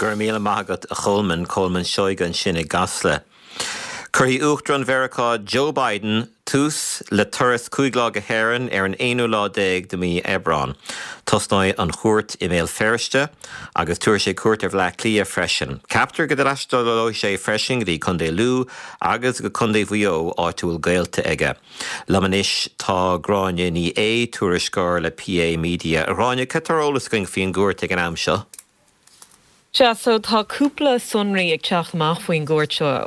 Go raibh míle maith agat a Cholmáin, Colmán Seoige ansin i gCasla. Cuirfidh Uachtarán Mheiriceá Joe Biden tús le turas 5 lá go hÉirinn ar an aonú lá déag de mhí Aibreán. Tosnóidh an chuairt i mBéal Feirste agus tabharfaidh sé cuairt ar Bhaile Átha Cliath freisin. Ceaptar go dtaistealóidh sé freisin go dtí Contae Lú agus go Contae Mhaigh Eo, áit a bhfuil gaolta aige. Liom anois tá Gráinne Ní Aodha, tuairisceoir le PA Media. A Ghráinne, cad tá ar eolas againn faoin gcuairt ag an am seo? Sea, so tá cúpla sonraí ag teacht amach faoin gcuairt seo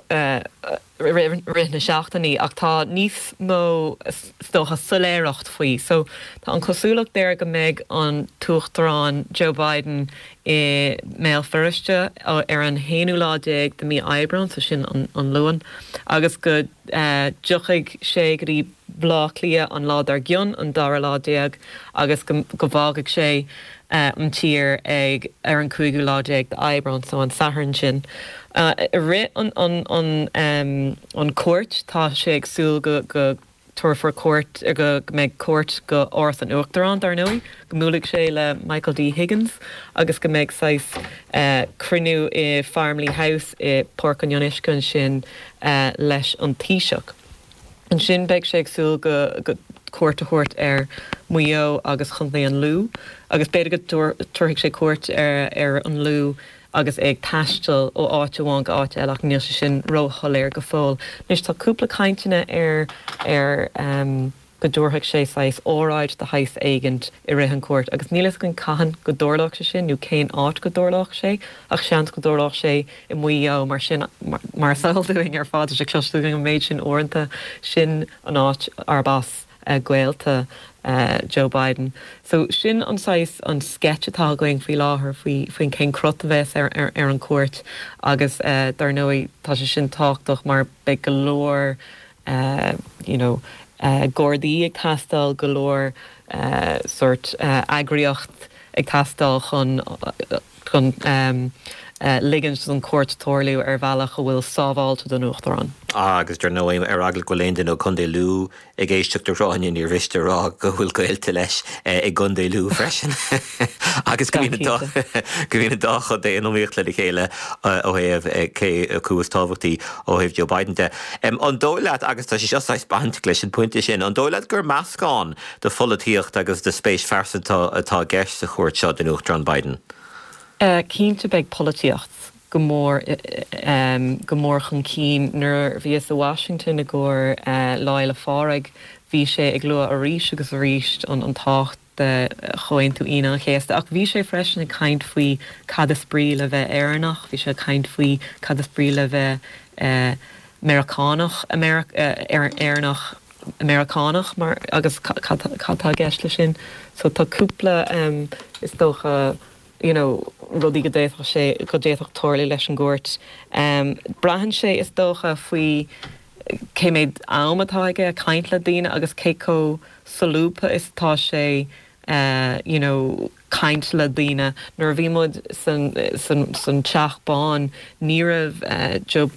i rith na seachtainí ach tá níos mó is dócha soiléireacht faoi. So tá an cosúlacht air go mbeidh an tUachtarán Joe Biden i mBéal Feirste ar an haonú lá déag de mí Aibreán, so sin an Luan, agus go dtiocfaidh sé go dtí Baile Átha Cliath an lá dár gcionn, an dara lá déag, agus go bhfágfaidh sé an tír ag ar an cúigiú lá déag d'Aibreán, so an Satharn sin. I rith an an cuairt, tá sé ag súil go go tabharfar cuairt, go mbeidh cuairt go Áras an Uachtaráin, dar ndóigh, go mbuailfidh sé le Michael D Higgins agus go mbeidh saghas cruinniú i Farmleigh House i Páirc an Fhionnuisce ansin leis an Taoiseach. Ansin beidh sé ag súil go cuairt a thabhairt ar Mhaigh Eo agus Chontae an Lú agus b'fhéidir go dtabharfaidh sé cuairt ar an Lú agus é ag taisteal ó áit amháin go áit eile ach níl sé sin róshoiléir go fóill. Anois tá cúpla cainteanna ar ar go dtabharfadh sé saghas óráid de shaghas éigint i rith an cuairt agus níl fhios againn cathain go dtarlódh sé sin nó cén áit go dtarlódh sé ach seans go dtarlódh sé i Maigh Eo mar sin mar is eol dúinn ar fad tá sé cloiste againn an méid sin uaireanta sin an áit arb as gaolta Joe Biden. So sin an saghas an sketch atá againn faoi láthair faoi faoin cén crot a bheas ar ar an cuairt agus dar ndóigh tá sé sin tábhachtach mar beidh go leor you know gardaí ag teastáil, go leor sórt eagraíocht ag teastáil chun chun ligint don chuairt tarlú ar bhealach a bhfuil sábháilte don Uachtarán. Agus dar ndóigh, ar eagla go bhfuil aon duine ó Chontae Lú ag éisteacht a Ghráinne, níor mhiste a rá go bhfuil gaolta leis i gContae Lú freisin agus go mbíonn go mbíonn an dá chontae in iomaíocht lena chéile ó thaobh cé acu is tábhachtaí ó thaobh Joe Biden de. An dóigh leat, agus tá sé seo saghas bainteach leis an bpointe sin, an dóigh leat gur meascán de pholaitíocht agus de spéis phearsanta atá i gceist sa chuairt seo don Uachtarán Biden? Cinnte beidh polaitíocht go mór go mór chun cinn. Nuair a bhíothas i Washington i gcomhair Lá Fhéile Phádraig bhí sé ag lua arís agus arís an tábhacht de Chomhaontú Aoine an Chéasta. Ach bhí sé freisin ag caint faoi cad is brí le bheith Éireannach, bhí sé ag caint faoi cad is brí le bheith Meiriceánach, Éireannach Meiriceánach mar agus cad tá i gceist leis sin. So tá cúpla is dócha you know rudaí go d'fhéadfadh sé, go d'fhéadfadh tarlú leis an gcuairt. Braitheann sé is dócha faoi cé méid am atá aige caint le daoine agus cé chomh solúbtha is atá sé you know caint le daoine. Nuair a bhí muid san san san Teach Bán ní raibh Joe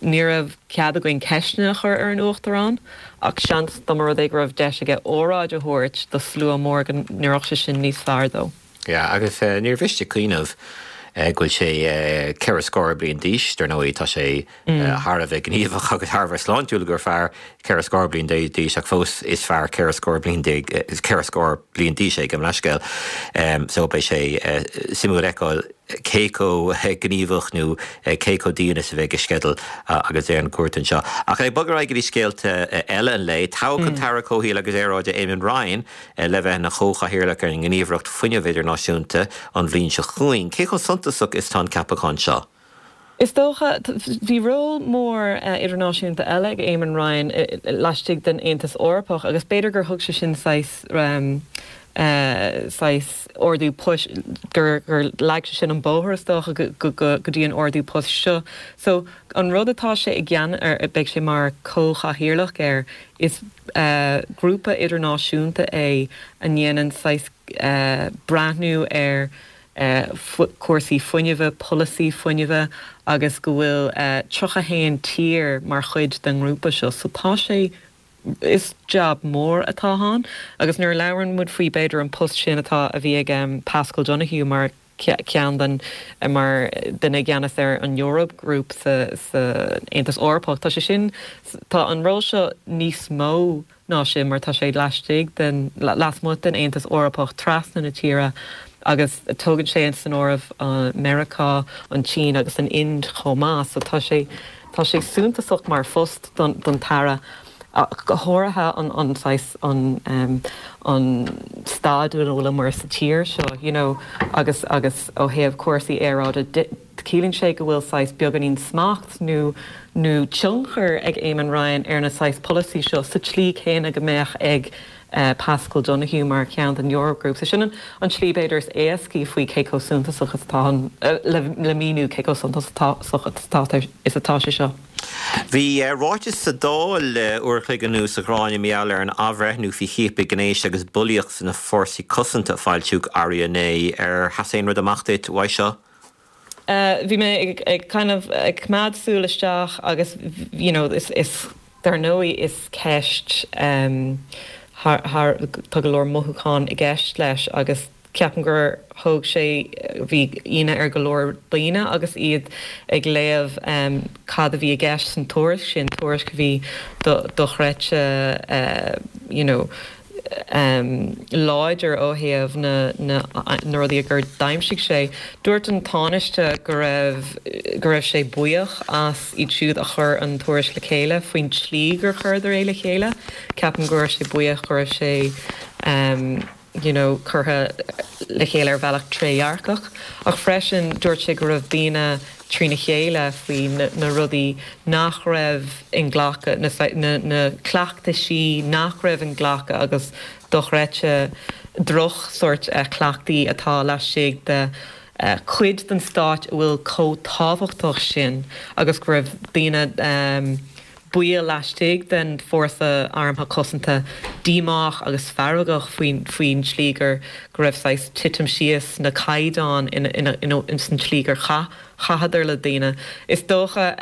ní raibh cead againn ceisteanna a chur ar an Uachtarán ach seans dá mba rud é go raibh deis aige óráid a thabhairt do slua mór go n-oirfeadh sé sin níos fearr dó. Yeah, agus níor mhiste cuimhneamh go bhfuil sé ceithre scór bliain d'aois, dar ndóigh tá sé thar a bheith gníomhach agus thar a bheith sláintiúil gur fear ceithre scór bliain d'aois ach fós is fear ceithre scór bliain déag, ceithre scór bliain d'aois é, gabh mo leithscéal. So beidh sé suimiúil a fheiceáil cé chomh gníomhach nó cé chomh dian is a bheidh a sceideal agus é ar an gcuairt anseo. Ach ag bogadh ar aghaidh go dtí scéalta eile an lae, toghadh an tAire Comhshaoil agus Aeráide Eamon Ryan le bheith ina chomhchathaoirleach ar an nGníomhaireacht Fuinnimh Idirnáisiúnta an bhliain seo chugainn. Cé chomh suntasach is atá an ceapachán seo? Is dócha, bhí ról mór idirnáisiúnta eile ag Eamon Ryan laistigh den Aontas Eorpach agus b'fhéidir gur thug sé sin saghas saghas ardú poist, gur leag sé sin an bóthar is dócha go dtí an ardú poist seo. So an rud atá sé i gceann ar, beidh sé mar comhchathaoirleach air, is grúpa idirnáisiúnta é a ndéanann saghas breathnú ar cúrsaí fuinnimhe, polasaí fuinnimhe agus go bhfuil 31 tír mar chuid den ngrúpa seo. So tá sé, is jab mór atá ann agus nuair a labhrann muid faoi b'fhéidir an post sin atá, a bhí ag Paschal Donohoe mar. ceann den, mar duine i gceannas ar an Eurogroup sa Aontas Eorpach. Tá sé sin, tá an ról seo níos mó ná sin mar tá sé laistigh den, lasmuigh den Aontas Eorpach, trasna na tíre agus tógann sé san áireamh Meiriceá, an tSín agus an Ind chomh maith. So tá sé, tá sé suntasach mar phost don, don tAire ach go háirithe an, an saghas, an, an staid ina bhfuileamar sa tír seo, you know, agus, agus ó thaobh cúrsaí aeráide de. Ciallaíonn sé go bhfuil saghas beagáinín smacht nó nó tionchar ag Eamon Ryan ar na saghas polasaí seo sa tslí céanna go mbeadh ag Paschal Donohoe mar cheann den Eurogroup. So sin an tslí b'fhéidir is éascaí faoi cé chomh suntasach is atá an le míniú cé chomh suntasach is atá sé seo. Bhí ráiteas sa Dáil uair a chloig anuas, a Ghráinne, mar gheall ar an athbhreithniú faoi chiapadh gnéis agus bulaíocht sna fórsaí cosanta a foilsíodh arú inné. Ar sheas aon rud amach duit uaidh seo? Bhí mé ag ag kind of ag coimeád súil isteach agus you know is is dar ndóigh is ceist ehm thar thar tá go leor mothúchán i gceist leis agus ceapaim gur thóg sé bhí ionadh ar go leor daoine agus iad ag léamh ehm cad a bhí i gceist san tuairisc sin, tuairisc a bhí do dochreidte eh you know láidir ó thaobh na na rudaí gur d'aimsigh sé. Dúirt an Tánaiste go raibh go raibh sé buíoch as iad siúd a chuir an tuairisc le chéile faoin tslí gur chuireadar é le chéile. Ceapaim go raibh sé buíoch go raibh sé you know curtha le chéile ar bhealach trédhearcach. Ach freisin dúirt sé go raibh daoine trína chéile faoi na rudaí nach raibh inghlactha, na cleachtaisí nach raibh inghlactha agus dochreidte droch-sórt cleachtaí atá laistigh de chuid den stáit a bhfuil chomh tábhachtach sin agus go raibh daoine baill laistigh den Fórsa Armtha Cosanta díomách agus feargach faoin tslí gur go raibh saghas titim síos na caighdeáin ins an tslí gur chaith chaitheadar le daoine. Is dócha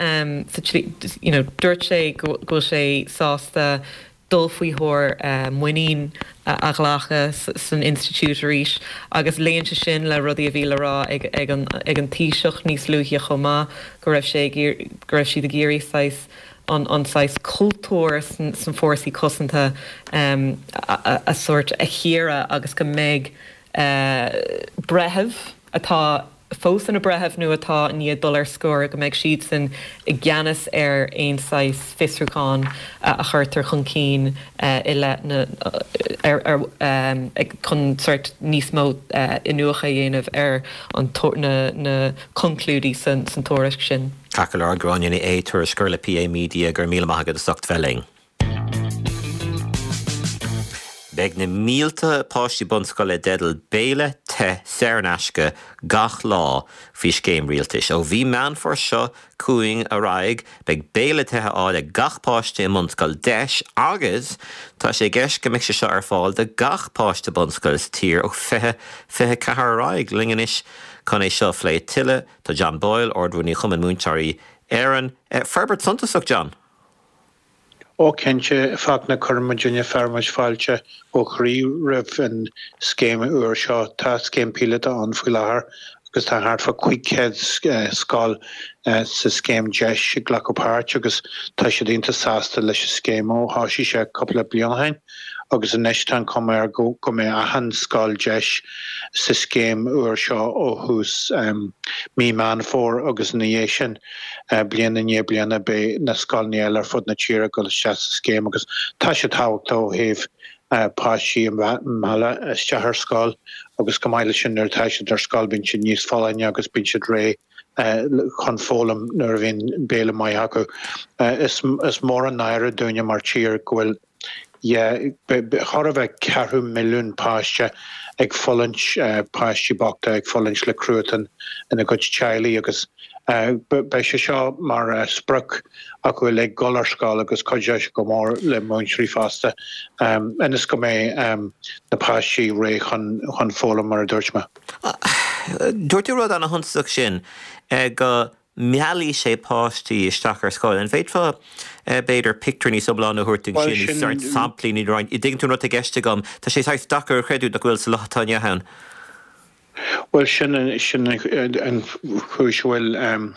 sa tslí you know dúirt sé go bhfuil sé sásta dul faoi thóir muinín a ghlacadh san institiúid arís agus luíonn sé sin le rudaí a bhí le rá ag ag an ag an Taoiseach níos luaithe chomh maith, go raibh sé ag go raibh siad ag iarraidh saghas an an saghas cultúr san san fórsaí cosanta a a sórt a chíoradh agus go mbeidh breitheamh atá fós ina breitheamh nó atá i ndiaidh dul ar scor, go mbeidh siadsan i gceannas ar aon saghas fiosrúchán a chuirtear chun cinn i leith na, ar, ar, chun sórt níos mó iniúchadh a dhéanamh ar an, na, na conclúidí san, san tuairisc sin. Ceart go leor, Gráinne Ní Aodha, tuairisceoir le PA Media, go raibh míle maith agat as ucht bheith linn. Beidh na mílte páistí bunscoile i dteideal béile te saor in aisce gach lá faoi scéim rialtais. Ó mhí Meán Fómhair seo chugainn ar aghaidh, beidh béile te á fháil ag gach páiste i mbunscoil deis agus tá sé i gceist go mbeidh sé seo ar fáil do gach páiste bunscoile sa tír ó 2024 ar aghaidh. Linn anois chun é seo a phlé tuilleadh tá John Boyle, Ard-Rúnaí Chumann Múinteoirí Éireann. Forbairt suntasach, John. Ó cinnte, Fachtna, cuireann muidinne fearann muid fáilte ó chroí roimh an scéim úr seo. Tá scéim píolóta ann faoi láthair agus tá thart fá 500 scoil sa scéim deis ag glacadh páirt agus tá siad iontach sásta leis an scéim ó thosaigh sé cúpla bliain ó shin agus anois tá an chuma air go go mbeidh achan scoil deis sa scéim úr seo ó thús mí Meán Fómhair agus ina dhiaidh sin. Bliain i ndiaidh bliana beidh na scoileanna eile ar fud na tíre ag dul isteach sa scéim agus tá sé tábhachtach ó thaobh páistí a mhealladh isteach ar scoil agus chomh maith leis sin nuair atá siad ar scoil bíonn siad níos folláine agus bíonn siad réidh chun foghlaim nuair a bhíonn béile maith acu. Is mór an náire dúinne mar tír go bhfuil Yeah, chóir a bheith ceathrú milliún páiste ag fulaingt, páistí bochta ag fulaingt le cruatan ina gcuid teaghlaigh agus beidh sé seo mar sprioc acu uilig dul ar scoil agus cuideoidh sé go mór le múinteoirí fosta ionas go mbeidh na páistí réidh chun foghlaim mar a dúirt mé. Dúirt tú rud ana-shuntasach sin go meallfaidh sé páistí isteach ar scoil. An bhféadfá, b'fhéidir, pictiúr níos iomláine a thabhairt dúinn sin, nó sórt samplaí nó roinnt, an dtuigeann tú an rud atá i gceist agam? Tá sé saghas deacair a chreidiúint nach bhfuil sa lá atá inniu ann. Bhuel, sin sin an chúis a bhfuil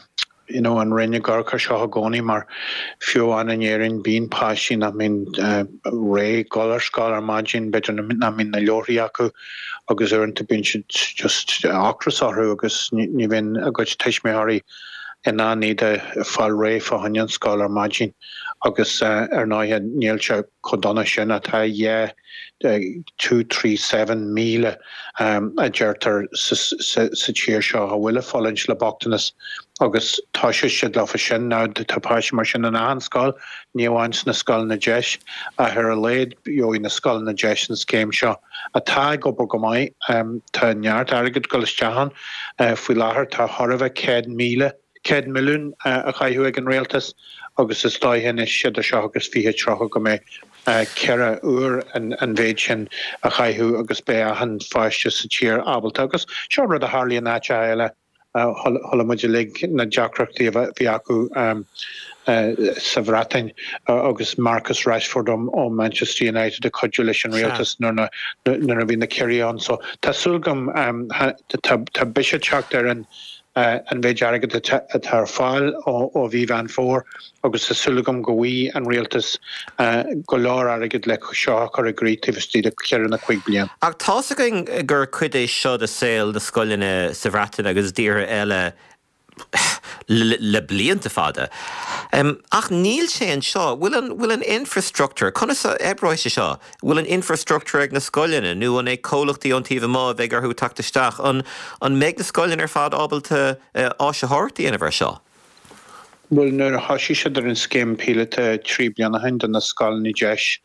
you know an Roinn ag amharc air seo i gcónaí mar fiú amháin in Éirinn bíonn páistí nach mbíonn réidh dul ar scoil ar maidin, b'fhéidir nach mbíonn na leabharthaí acu agus uaireanta bíonn siad just ocras orthu agus ní bhíonn a gcuid tuismitheoirí in ann iad a fáil réidh fá choinne an scoil ar maidin agus ar ndóighe níl sé chomh dona sin ach tá yeah 237,000 a deirtear sa tír seo a bhfuil ag fulaingt le bochtanas agus toiseoidh siad leofa sin. Now tá páistí mar sin in achan scoil, ní amháin sna scoileanna deis, ach ar a laghad gheobhaidh na scoileanna deis an scéim seo, atá ag obair go maith. Tá neart airgid ag dul isteach ann faoi láthair, tá chóir a bheith 100,000. 100 milliún a chaitheamh ag an rialtas agus is dóiche anois idir seo agus 2030 go mbeidh 4 uair an mhéid sin a chaitheamh agus beidh achan pháiste sa tír ábalta. Agus seo rud a tharlaíonn in áiteacha eile, chuala muid uilig na deacrachtaí a bhí acu sa Bhreatain agus Marcus Rashford ó Manchester United ag cuidiú leis an rialtas nuair a bhí na ciorruithe ann. So tá súil agam, tá biseach ag teacht ar an an mhéid airgid atá ar fáil ó mhí Mheán Fómhair agus tá súil agam go bhfaighidh an rialtas go leor airgid le seo a chur i gcrích taobh istigh de cheithre nó cuig bliain. Ach tá's againn gur cuid é seo de saol na scoileanna sa Bhreatain agus i dtíortha eile le blianta fada. Ach níl sé anseo. Bhfuil an, bhfuil an infrastructure, conas a oibreoidh sé seo? Bhfuil an infrastructure ag na scoileanna nó an é comhlachtaí ón taobh amuigh a bheidh orthu teacht isteach? An, an mbeidh na scoileanna ar fad ábalta áisitheoireacht a dhéanamh ar seo? Bhuel, nuair a thoisigh siad ar an scéim píolóta 3 bliana ó shin do na scoileanna deis,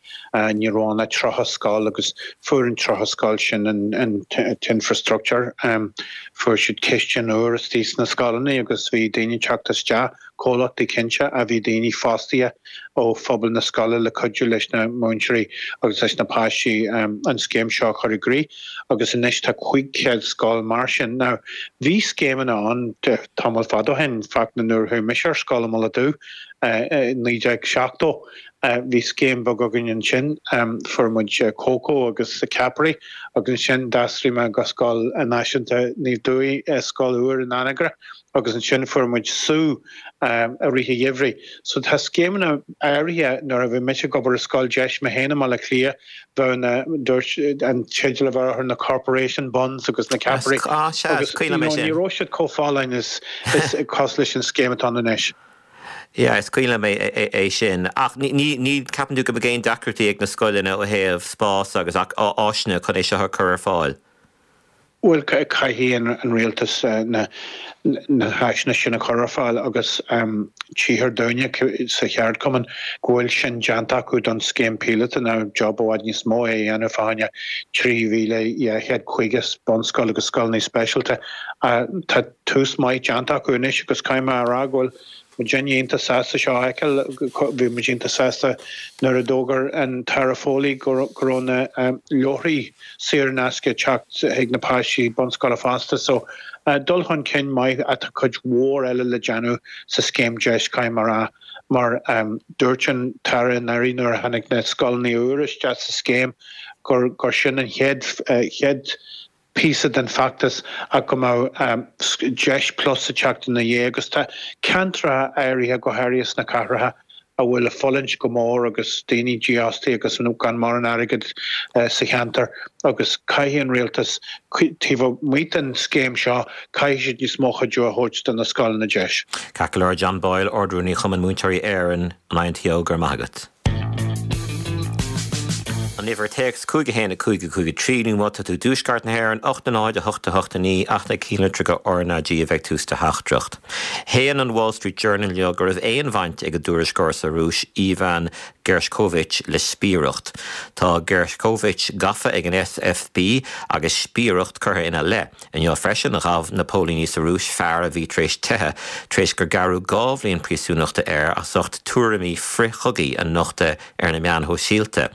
ní raibh ann ach 30 scoil agus fuair an 30 scoil sin an t-infrastructure. Fuair siad cistin úr istigh sna scoileanna agus bhí daoine ag teacht isteach, comhlachtaí cinnte, ach bhí daoine fostaithe ó phobal na scoile le cuidiú leis na múinteoirí agus leis na páistí an scéim seo a chur i gcrích agus anois tá 500 scoil mar sin. Now, bhí scéimeanna ann tamall fada ó shin, fact nuair a chuaigh mise ar scoil i Mullach Dubh i 1970, bhí scéim bheag againn ansin, fuair muid cócó agus ceapairí agus ansin d'aistrigh mé go Scoil Náisiúnta Naomh Dubhthaigh, scoil úr in Anagaire agus ansin fuair muid sú i rith an gheimhridh. So tá scéimeanna áirithe, nuair a bhí mise ag obair i scoil deis mé féin i mBaile Átha Cliath, bheadh na, dúirt, an teideal a bheadh orthu na corporation buns agus na ceapairí Ah, sea, is agus cuimhin you liom é know ní sin. raibh siad chomh folláin is, is cosúil leis an scéim atá ann anois. Yeah, is cuimhin liom é, é sin. Ach ní, ní, ní ceapann tú go mbeidh aon deacrachtaí ag na scoileanna ó thaobh spás agus áiseanna chun é seo a chur ar fáil? Bhuel, caithfidh an rialtas na háiseanna sin a chur ar fáil agus tchíthear dúinne sa cheardchumann go bhfuil sin déanta acu don scéim píolóta. Now, job i bhfad níos mó é a dhéanamh fá choinne 3,250 bunscoil agus scoileanna speisialta. Tá tús maith déanta acu anois agus caithfidh mé a rá go bhfuil muidinne iontach sásta seo a fheiceáil. Bhí muid iontach sásta nuair a d'fhógair an tAire Foley go raibh na leabharthaí saor in aisce ag teacht chuig na páistí bunscoile fosta. So, dul chun cinn maith ach tá cuid mhór eile le déanamh sa scéim deis, caithfidh mé a rá, mar dúirt an tAire anuraidh nuair a tháinig na scoileanna úra isteach sa scéim gur sin an chéad chéad píosa den bhfeachtas ach go mbeadh Deis Plus ag teacht ina dhiaidh agus tá ceantracha áirithe, go háirithe sna cathracha, a bhfuil ag fulaingt go mór agus daoine dífhostaithe agus gan mórán airgid sa cheantar agus caithfidh an rialtas, taobh amuigh den scéim seo, caithfidh siad níos mó cuidiú a thabhairt do na scoileanna deis. Ceart go leor, John Boyle, Ard-Rúnaí Chumann Múinteoirí Éireann, an INTO, go raibh maith agat. An uimhir téacs 5 1 5 5 3 nó má tá tú i dtuaisceart na hÉireann 8 0 8 8 9 ach na cinnlitreacha RnaG a bheidh tús do theachtaireacht. Shéan an Wall Street Journal inniu go raibh aon bhaint ag an dtuairisceoir sa Rúis Ivan Gershkovich le spiaireacht. Tá Gershkovich gafa ag an FSB agus spiaireacht curtha ina leith. Inniu freisin, ghabh na póilíní sa Rúis fear a bhí tar éis teitheadh tar éis gur gearradh 2 bhliain príosúnachta air as ucht tuairimí frith-chogaidh a nochtadh ar na meáin shóisialta.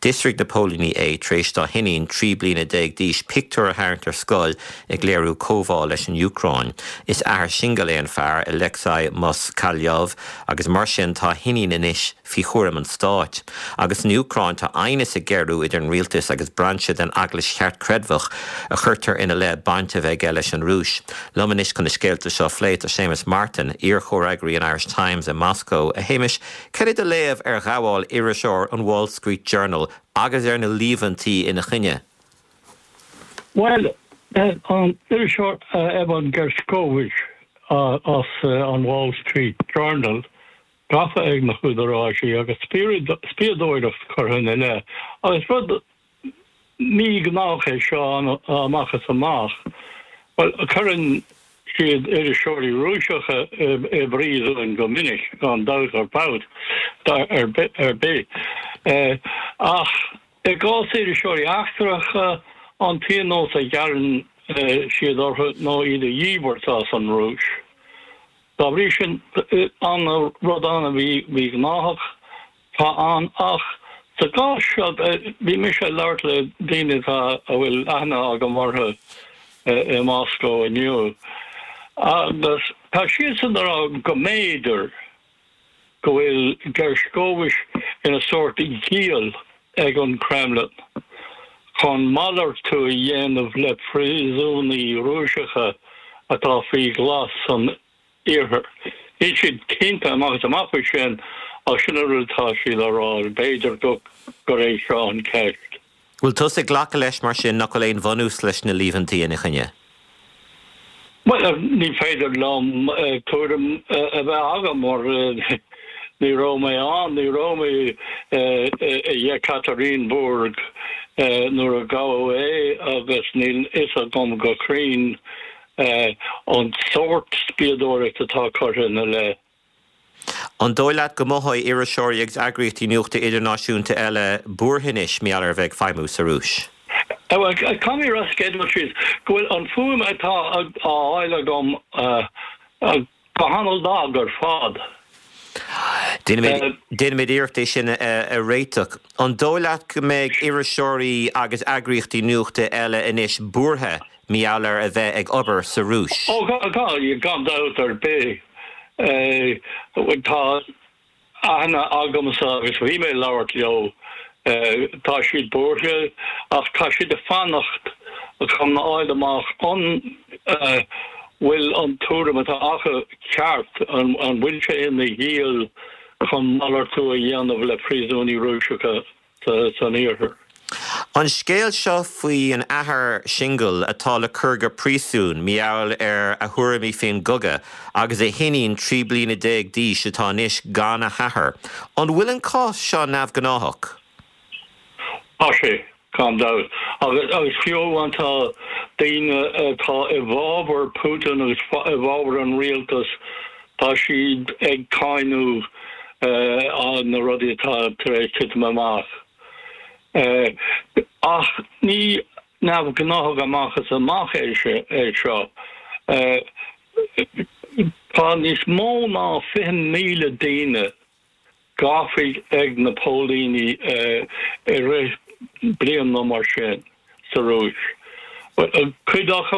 D'fhiosraigh. D'fhiosraigh na póilíní é tar éis dá hiníon 13 bliana d'aois pictiúr a tharraingt ar scoil ag léiriú comhbhá leis an Úcráin. Is athair singil é an fear, Alexei Moskalyov, agus mar sin tá a hiníon anois faoi chúram an stáit. Agus san Úcráin tá aighneas ag géarú idir an rialtas agus brainse den Eaglais Cheartchreidmheach a chuirtear ina leith baint a bheith aige leis an Rúis. Liom anois chun na scéalta seo a phlé tá Séamus Martin, iar-chomhfhreagraí an Irish Times i Moscó. A Shéamais, cad é do léamh ar ghabháil iriseoir an Wall Street Journal agus ar na líomhaintí ina choinne? Bhuel, an t-iriseoir Evan Gershkovich as an Wall Street Journal, gafa ag na húdaráisí agus spiadóireacht curtha ina leith. Agus rud míghnách é seo amach is amach. Bhuel, cuireann siad iriseoirí Rúiseacha i bpríosún go minic, gan dabht ar babht ar bith. Ach i gcás iriseoirí eachtracha, an pionós a ghearrann siad orthu ná iad a dhíbirt as an Rúis. Dá bhrí sin, rud an-mhíghnáthach atá ann ach sa gcás seo, bhí mise ag labhairt le daoine atá, a bhfuil aithne agam orthu i Moscó inniu agus tá siadsan ag rá go mb'fhéidir go bhfuil Gershkovich ina sórt giall ag an Kremlin chun malartú a dhéanamh le príosúnaigh Rúiseacha atá faoi ghlas san Iarthar. Níl siad cinnte amach is amach faoi sin ach sin an rud atá siad á rá, b'fhéidir gur é seo an ceist. Bhfuil tusa ag glacadh leis mar sin nach bhfuil aon bhunús leis na líomhaintí ina choinne? Bhuel, ní féidir liom tuairim a bheith agam mar ní raibh mé ann, ní raibh mé i Yekaterinburg nuair a gabhadh é agus níl fhios agam go cruinn an sórt spiadóireacht atá curtha ina leith. An dóigh leat go mothóidh iriseoirí agus eagraíochtaí nuachta idirnáisiúnta eile buartha anois mar gheall ar a bheith ag feidhmiú sa Rúis? Bhuel, caithfidh mé a rá sa gcéad dul síos go bhfuil an fuaim atá á fháil agam go han-lag ar fad. Déanfaimid iarracht é sin a réiteach. An dóigh leat go mbeidh iriseoirí agus eagraíochtaí nuachta eile anois buartha mar gheall ar a bheith ag obair sa Rúis? Ó, gan dabht ar bith. Tá aithne agamsa agus bhí mé ag labhairt leo. Tá siad buartha ach tá siad ag fanacht chun a fháil amach an bhfuil an tuairim atá acu ceart, an bhfuil sé ina ghiall chun malartú a dhéanamh le príosúnaigh Rúiseacha san Iarthar. An scéal seo faoin athair singil atá le cur go príosún mar gheall ar a thuairimí faoin gcogadh agus a hiníon 13 bliana d'aois atá anois gan a hathair, an bhfuil an cás seo neamhghnáthach? Tá sé, gan dabht. Agus fiú amháin tá daoine atá i bhfabhar Putin agus i bhfabhar an rialtais, tá siad ag cáineadh na rudaí atá tar éis titim amach. Ach ní neamhghnáthach amach is amach é seo. Tá níos mó ná 20,000 daoine gafa ag na póilíní i rith bliain nó mar sin sa Rúis. Cuid acu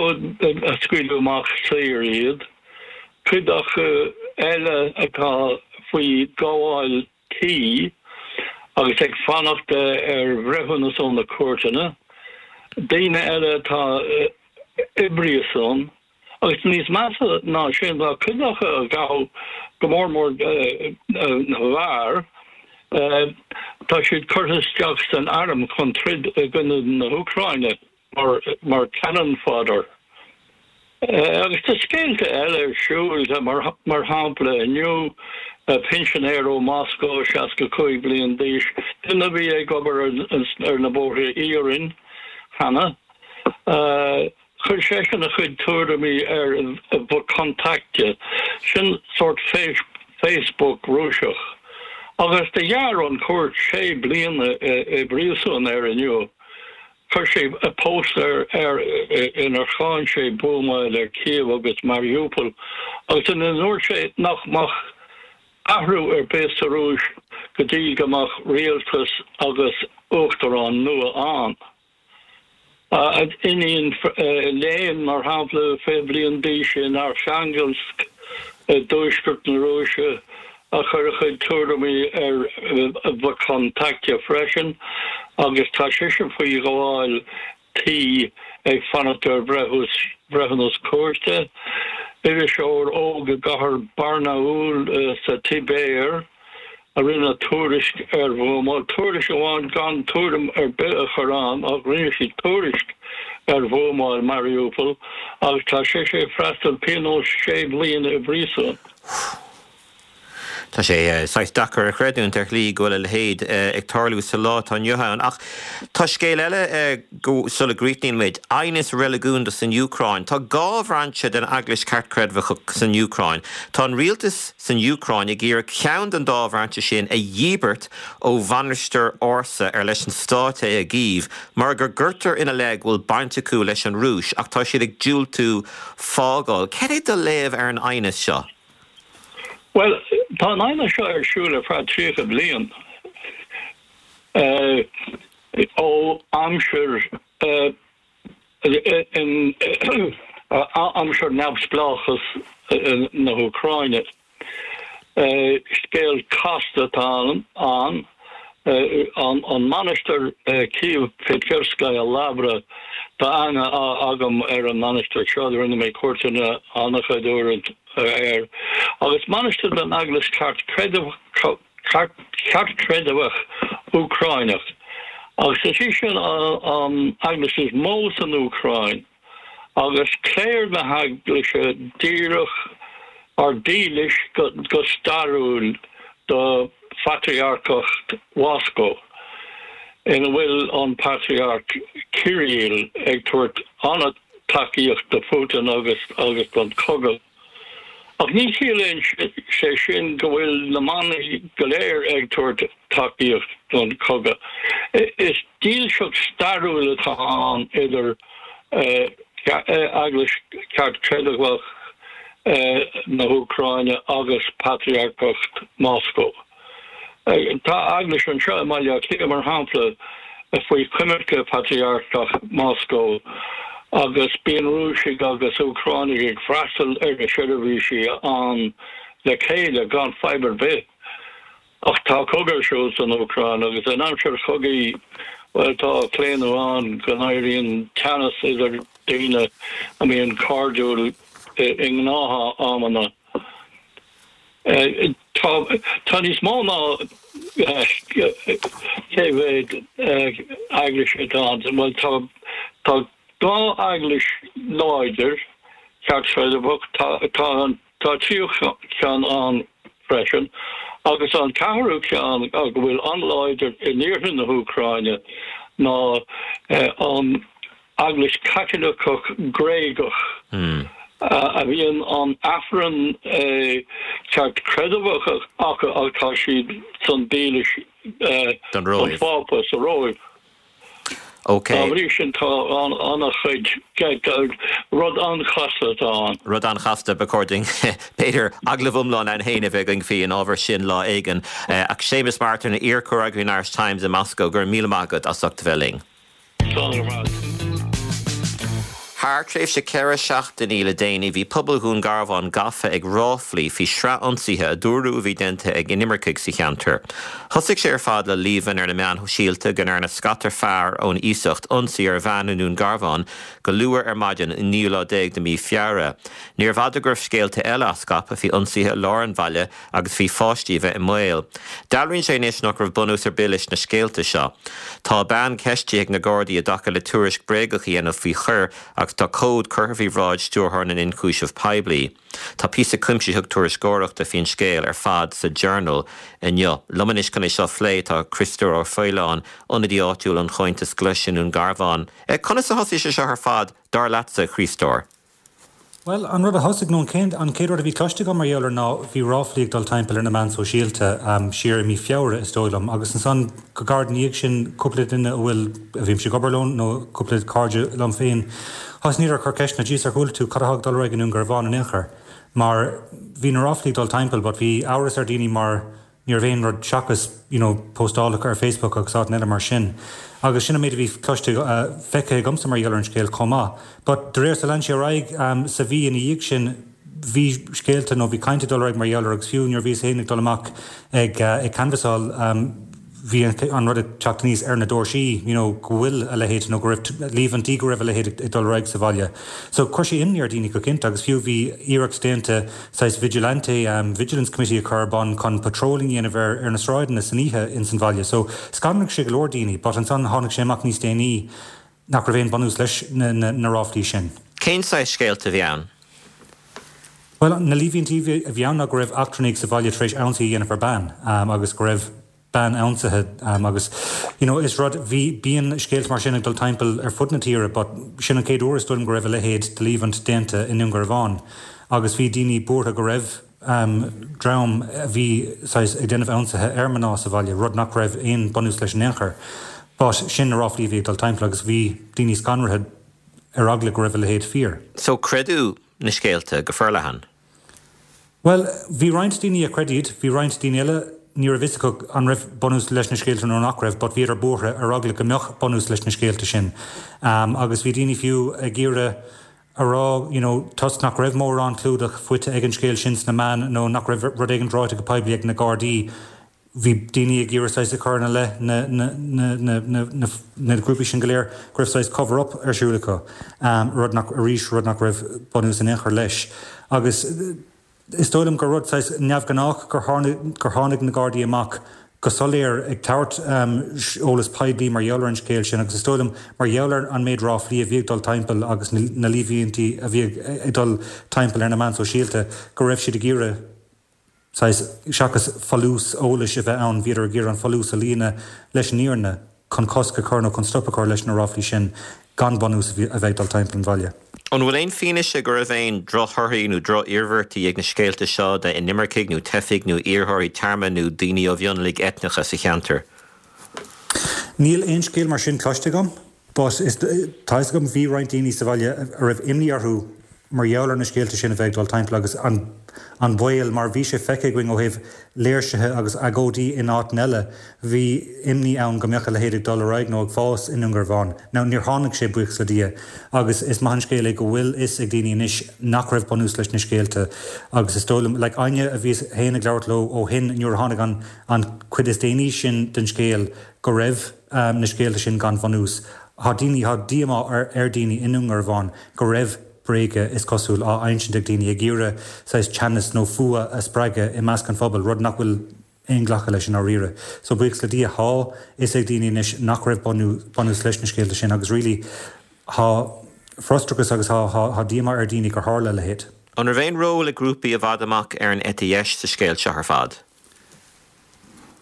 a scaoileadh amach saor iad, cuid acu eile atá faoi ghabháil tí agus ag fanacht ar bhreithiúnas ó na cúirteanna, daoine eile atá i bpríosún. Agus níos measa ná sin, tá cuid acu a gabhadh, go mór mór na fir, tá siad curtha isteach san arm chun troid i gcoinne na hÚcráine mar cannon fodder. Agus tá scéalta eile ar siúl, mar shampla inniu, pinsinéir ó Moscó, 65 bliain d'aois, duine a bhí ag obair ar na bóithre iarainn cheana, Chuir seisean a chuid tuairimí ar VKontakte, sin sórt Facebook Rúiseach, agus do ghearr an chúirt sé bliana i bpríosún air inniu. Chuir sé post ar inar cháin sé buamáil ar Kiev agus Mariupol agus ina ndúirt sé nach mbeadh athrú ar bith sa Rúis go dtí go mbeadh rialtas agus. uachtarán nua ann. Iníon léinn, mar shampla, 20 bliain d'aois in Arkhangelsk i dtuaisceart na Rúise, a chuir a chuid tuairimí ar VKontakte freisin agus tá sise faoi ghabháil tí ag fanacht ar bhreithiúnas cúirte. Iriseoir óg i gcathair Barnaul sa tSibéir a rinne tuairisc ar bhuamáil, tuairisc amháin gan tuairim ar bith a chur ann ach rinne sí tuairisc ar bhuamáil Mariupol agus tá sise ag freastal pionós sé bhliana i bpríosún. Tá sé saghas deacair a chreidiúint ar shlí go bhfuil a leithéid ag tarlú sa lá atá inniu ann. Ach tá scéal eile sula gcríochnaíonn muid, aighneas reiligiúnda san Úcráin. Tá dhá bhrainse den Eaglais Cheartchreidmheach san Úcráin. Tá an rialtas san Úcráin ag iarraidh ceann den dá bhrainse sin a dhíbirt ó mhainistir ársa ar leis an stát é i gCív mar go gcuirtear ina leith go bhfuil baint acu leis an Rúis ach tá siad ag diúltú fágáil. Cad é do léamh ar an aighneas seo? Bhuel, tá an aighneas seo ar siúl ar feadh 30 bliain, ó aimsir aimsir neamhspleáchas na hÚcráine. Scéal casta atá ann. An mainistir Kiev-Pecherskaya Lavra, tá aithne agam ar an mainistir seo, rinne mé cuairteanna an-chuid uaireanta air, agus mainistir den Eaglais Cheartchreidmheach Úcráineach, agus is í sin an eaglais is mó san Úcráin. Agus cléir na heaglaise díreach or dílis go stairiúil do Phatrarcacht Mhoscó, ina bhfuil an Patrarc Kirill ag tabhairt an-tacaíocht do Phutin agus agus don chogadh. Ach ní chiallaíonn sé sin go bhfuil na manaigh go léir ag tabhairt tacaíocht don chogadh. Is dílseacht stairiúil atá ann idir Eaglais Cheartchreidmheach na hÚcráine agus Patrarcacht Mhoscó. Tá eaglais anseo i mBaile Átha Cliath, mar shampla, faoi choimirce Phatrarcacht Mhoscó agus bíonn Rúisigh agus Úcránaigh ag freastal ar na seirbhísí ann le chéile gan fadhb ar bith. Ach tá cogadh ar siúl san Úcráin agus in aimsir chogaidh, bhuel, tá claonadh ann go n-éiríonn teannas idir daoine a mbíonn cairdiúil i ngnáthamanna. Tá níos mó ná cé mhéad eaglais atá ann. Bhuel, tá tá dhá eaglais láidir cheartchreidmheach, tá tá tá tríú ceann ann freisin, agus an ceathrú ceann go bhfuil an-láidir in iarthar na hÚcráine ná an Eaglais Chaitliceach Ghréagach a bhíonn an Aifreann ceartchreidmheach acu ach tá siad san dílis don Phápa sa Róimh. Dá bhrí sin tá an-chuid, rud an-chasta atá ann. Rud an-chasta, ba chóir dúinn b'fhéidir agallamh iomlán ann féin a bheith againn faoi an ábhar sin lá éigin. Ach Séamus Martin, iar-chomhfhreagraí an Irish Times i Moscó, go raibh míle maith agat as ucht a bheith linn. Slán ar fad. Thar tréimhse 4 seachtainí le déanaí bhí pobal Dhún Garbhán gafa ag ráflaí faoi shraith ionsaithe a dúradh a bhí déanta ag inimircigh sa cheantar. Thosaigh sé ar fad le líomhain ar na meáin shóisialta go ndearna scata fear ón iasacht ionsaí ar bhean i nDún Garbhán go luath ar maidin an naoú lá déag de mhí Feabhra. Níorbh fhada go raibh scéalta eile á scaipeadh faoi ionsaithe i lár an bhaile agus faoi pháistí a bheith i mbaol. Dealraíonn sé anois nach raibh bunús ar bith leis na scéalta seo. Tá bean ceistithe ag na Gardaí i dtaca le tuairisc bréagach a dhéanamh faoi choir agus tá comhad curtha faoi bhráid Stiúrthóir na nIonchúiseamh Poiblí. Tá píosa cuimsitheach tuairisceoireachta faoin scéal ar fad sa Journal inniu. Liom anois chun é seo a phlé tá Criostóir Ó Faoláin, ionadaí áitiúil an Chomhaontais Ghlais i nDún Garbhán. Conas a thosaigh sé seo ar fad, dar leatsa, a Chriostóir? Bhuel, an rud a thosaigh, nó an chéad, an chéad rud a bhí cloiste agam mar gheall air ná bhí ráflaí ag dul timpeall ar na meáin sóisialta siar i mí Feabhra, is dóigh liom, agus ansan go gairid ina dhiaidh sin cúpla duine a bhfuil, a bhímse ag obair leo nó cúpla cairde liom féin, thosnaíodar ag cur ceisteanna, Jeez, ar chuala tú cad atá ag dul ar aghaidh i nDún Garbhán in aon chor? Mar bhí na ráflaí ag dul timpeall but bhí amhras ar daoine mar. Ní raibh aon rud seachas, you know, postálacha ar Facebook agus áiteanna eile mar sin. Agus sin an méid a bhí cloiste, feicthe agamsa mar gheall ar an scéal chomh maith. But de réir, so lean sé ar aghaidh sa mhí ina dhiaidh sin, bhí scéalta nó bhí caint ag dul ar aghaidh mar gheall air agus fiú nuair a bhíos féin ag dul amach ag ag canbhasáil, bhí an rud ag teacht aníos ar na doirsí, you know, go bhfuil a leithéid nó go raibh líomhaintí go raibh a leithéid ag dul ar aghaidh sa bhaile. So chuir sé imní ar dhaoine go cinnte agus fiú bhí iarracht déanta saghas vigilante, vigilance committee a chur ar bun chun patrolling a dhéanamh ar ar na sráideanna san oíche ins an bhaile. So scanraigh sé go leor daoine but ansan tháinig sé amach níos déanaí nach raibh aon bunús leis na na na ráflaí sin. Cén saghas scéalta a bhí ann? Bhuel, na líomhaintí a bhí ann ná go raibh eachtrannaigh sa bhaile tar éis ionsaí a dhéanamh ar bean agus go raibh bean ionsaithe agus you know is rud, bhí, bíonn scéalta mar sin ag dul timpeall ar fud na tíre but sin an chéad uair is dóigh liom go raibh a leithéid de líomhaint déanta i nDún Garbhán agus bhí daoine buartha go raibh dream a bhí saghas ag déanamh ionsaithe ar mná sa bhaile, rud nach raibh aon bunús leis in aon chor but sin na ráflaí a bhí ag dul timpeall agus bhí daoine scanraithe ar eagla go raibh a leithéid fíor. So creideadh na scéalta go forleathan? Bhuel, bhí roinnt daoine a chreid iad, bhí roinnt daoine eile, ní raibh fhios acu an raibh bunús leis na scéalta nó nach raibh, but bhíodar buartha ar eagla go mbeadh bunús leis na scéalta sin. Agus bhí daoine fiú ag iarraidh a rá, you know, toisc nach raibh mórán clúdach faighte ag an scéal sin sna meáin nó nach raibh rud éigin ráite go poiblí ag na Gardaí, Bhí daoine ag iarraidh saghas a chur ina leith na na grúpaí sin go léir go raibh saghas cover up ar siúl acu, rud nach, arís, rud nach raibh bunús in aon chor leis. Agus is dóigh liom gur rud saghas neamhghnách gur gur tháinig na Gardaí amach go soiléir ag tabhairt eolas poiblí mar gheall ar an scéal sin agus is dóigh liom mar gheall ar an méid ráflaí a bhí ag dul timpeall agus na líomhaintí a bhí ag dul timpeall ar na meáin sóisialta go raibh siad ag iarraidh saghas, seachas folús eolais a bheith ann, bhíodar ag iarraidh an folús a líonadh leis an fhírinne chun cosc a chur nó chun stop a chur leis na ráflaí sin gan bunús a bheith ag dul timpeall an bhaile. An bhfuil aon fianaise go raibh aon drochthorthaí nó droch-iarmhairtí ag na scéalta seo d'inimircigh nó teifigh nó iarrthóirí tearmainn nó daoine ó mhionlaigh eitneacha sa cheantar? Níl aon scéal mar sin cloiste agam but is, tá fhios agam bhí roinnt daoine sa bhaile a raibh imní orthu mar gheall ar na scéalta sin a bheith ag dul timpeall agus an an baol, mar bhí sé feicthe againn ó thaobh léirsithe agus agóidí in áiteanna eile, bhí imní ann go mbeadh a leithéid ag dul ar aghaidh nó ag fás i nDún Garbhán. Now níor tháinig sé, buíochas le Dia, agus is maith an scéal é go bhfuil fhios ag daoine anois nach raibh bunús leis na scéalta agus is dóigh liom, like éinne a bhíos féin ag labhairt leo ó shin nuair a tháinig an an chuid is déanaí sin den scéal go raibh na scéalta sin gan bhunús. Tá daoine, tá díomá ar dhaoine i nDún Garbhán go raibh bréaga, is cosúil, á insint ag daoine ag iarraidh saghas teannas nó fuath a spreagadh i measc an phobail, rud nach bhfuil aon ghlacadh leis i ndáiríre. So buíochas le Dia, tá fhios ag daoine anois nach raibh bunús leis na scéalta sin agus really tá frustrachas agus tá díomá ar dhaoine gur tharla a leithéid. An raibh aon ról ag grúpaí i bhfad amach ar an eite dheis sa scéal seo ar fad?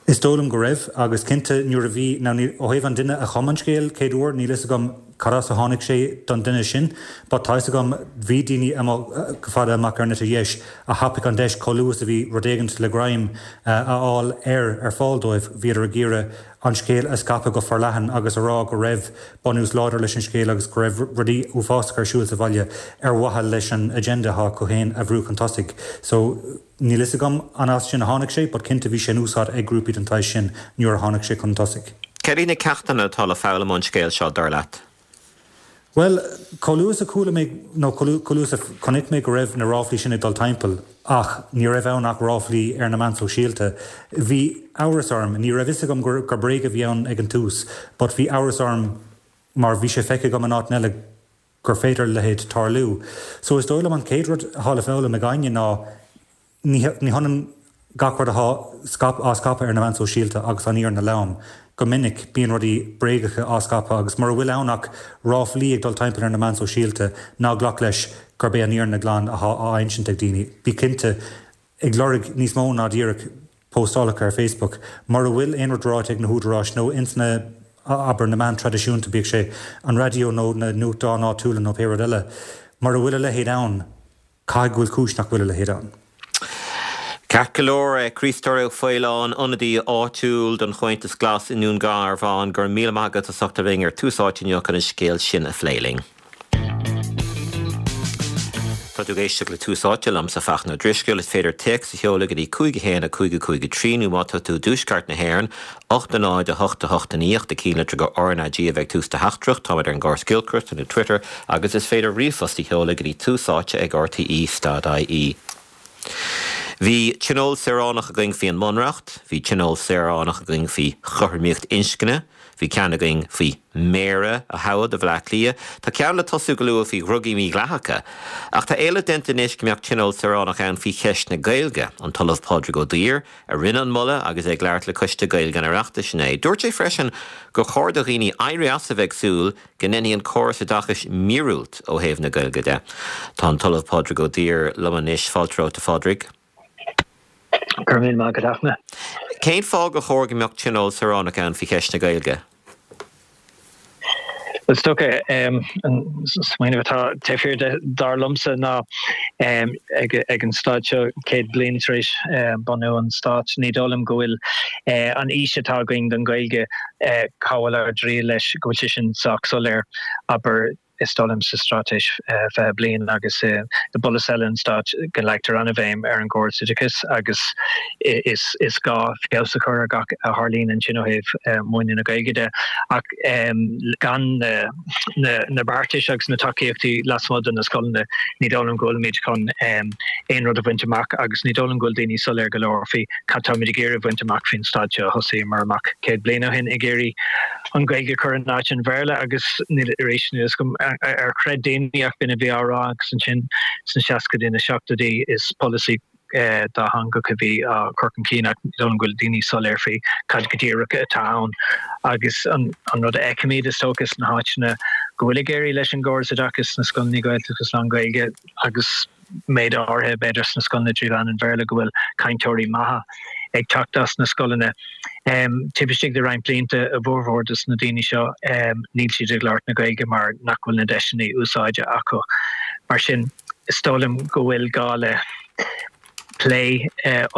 Is dóigh liom go raibh, agus cinnte nuair a bhí, now ní, ó thaobh an duine a chum an scéal chéad uair, níl fhios agam cad as a tháinig sé don duine sin, but tá fhios agam bhí daoine amuigh go fada amach ar an eite dheis a thapaigh an deis chomh luath is a bhí rud éigint le greim a fháil air ar fáil dóibh, bhíodar ag iarraidh an scéal a scaipeadh go forleathan agus a rá go raibh bunús láidir leis an scéal agus go raibh rudaí uafásacha ar siúl sa bhaile ar mhaithe leis an agenda atá acu féin a bhrú chun tosaigh. So. Níl fhios agam an as sin a tháinig sé, but cinnte bhí sé in úsáid ag grúpaí den tsaghas sin nuair a tháinig sé chun tosaigh. Céard iad na ceachtanna atá le foghlaim ón scéal seo, dar leat? Bhuel, chomh luath is a chuala mé, nó chomh luath is a chonaic mé go raibh na ráflaí sin ag dul timpeall, ach ní raibh ann ach ráflaí ar na meáin sóisialta, bhí amhras orm. Ní raibh fhios agam gur bréag a bhí ann ag an tús, but bhí amhras orm mar bhí sé feicthe agam in áiteanna eile gur féidir a leithéid tarlú. So is dóigh liom an chéad rud atá le foghlaim ag éinne ná ní ní hionann gach rud atá scaip á scaipeadh ar na meáin sóisialta agus an fhírinne lom. Go minic bíonn rudaí bréagacha á scaipeadh agus mura bhfuil ann ach ráflaí ag dul timpeall ar na meáin sóisialta ná glac leis gurb é an fhírinne glan atá á insint ag daoine. Bí cinnte ag lorg níos mó ná díreach postálacha ar Facebook. Mura bhfuil aon rud ráite ag na húdaráis nó ins na, abair, na meáin traidisiúnta, bíodh sé an raidió nó na nuachtáin áitiúla nó pé rud eile, mura bhfuil a leithéid ann, caithfidh go bhfuil cúis nach bhfuil a leithéid ann. Ceart go leor, Críostóir Ó Faoláin, ionadaí áitiúil don Chomhaontas Glas i nDún Garbhán, go raibh míle maith agat as ucht a bheith ar Tús Áite inniu chun an scéal sin a phlé linn. Tá tú ag éisteacht le Tús Áite liomsa, Fachtna Ó Drisceoil. Is féidir téacs a sheoladh go dtí 5 1 5 5 3 nó má tá tú i dtuaisceart na hÉireann, 8 0 8 8 9 8 do chinnlitir go RnaG a bheidh tús do theachtaireacht. Táimid ar an gcóras giolcaireachta nó Twitter agus is féidir ríomhphost a sheoladh go dtí túsáite ag rte stad ie. Bhí tionól saoránach againn faoi an mBunreacht, bhí tionól saoránach againn faoi chothromaíocht inscne, bhí ceann againn faoi Mhéara a thoghadh do Bhaile Átha Cliath, tá ceann le tosú go luath faoi dhrugaí mídhleathacha. Ach tá éileamh déanta anois go mbeadh tionól saoránach ann faoi cheist na Gaeilge. An tOllamh Pádraig Ó Duibhir a rinne an moladh agus é ag labhairt le Coiste Gaeilge an Oireachtais inné. Dúirt sé freisin gur chóir do dhaoine éirí as a bheith ag súil go ndéanfaidh an córas oideachais míorúilt ó thaobh na Gaeilge de. Tá an tOllamh Pádraig Ó Duibhir liom anois. Fáilte romhat, a Phádraig. Go raibh míle maith agat, a Fhachtna. Cén fáth gur chóir go mbeadh tionól saoránach ann faoi cheist na Gaeilge? Bhuel, is dócha, an smaoineamh atá taobh thiar de, dar liomsa, ná ag an staid seo, 100 bliain tar éis bunú an stáit, ní dóigh liom go bhfuil an fhís atá againn don Ghaeilge cá bhfuil ár dtriall leis, go bhfuil sé sin sách soiléir, abair, is dóigh liom, sa Straitéis 20 Bliain agus i bpolasaithe eile an stáit go leagtar an-bhéim ar an gcóras oideachais agus is gá feabhas a chur ar gach a tharlaíonn ansin ó thaobh múineadh na Gaeilge de. Ach gan na beartais agus na tacaíochtaí lasmuigh de na scoileanna, ní dóigh liom go bhfuilimid chun aon rud a bhaint amach agus ní dóigh liom go bhfuil daoine soiléir go leor faoi cad táimid ag iarraidh a bhaint amach faoin staid seo. Thosaíomar amach 100 bliain ó shin ag iarraidh an Ghaeilge a chur in áit an Bhéarla agus níl arís níl fhios agam ar chreid daoine ach b'in a bhí á rá agus ansin sna seascaidí na seachtóidí is polasaí dátheangach a bhí á chur chun cinn ach ní dóigh liom go bhfuil daoine soiléir faoi cad go díreach atá ann agus an rud a fheicimid is dócha sna háiteanna go bhfuil ag éirí leis an gcóras oideachais sna scoileanna Gaeltachta agus lán-Ghaeilge agus méid áirithe, b'fhéidir, sna scoileanna trí mheán an Bhéarla, go bhfuil cainteoirí maithe ag teacht as na scoileanna. Taobh istigh de roinnt blianta, a bhformhór de na daoine seo, níl siad ag labhairt na Gaeilge mar nach bhfuil na deiseanna úsáide acu. Mar sin, is dóigh liom go bhfuil gá le plé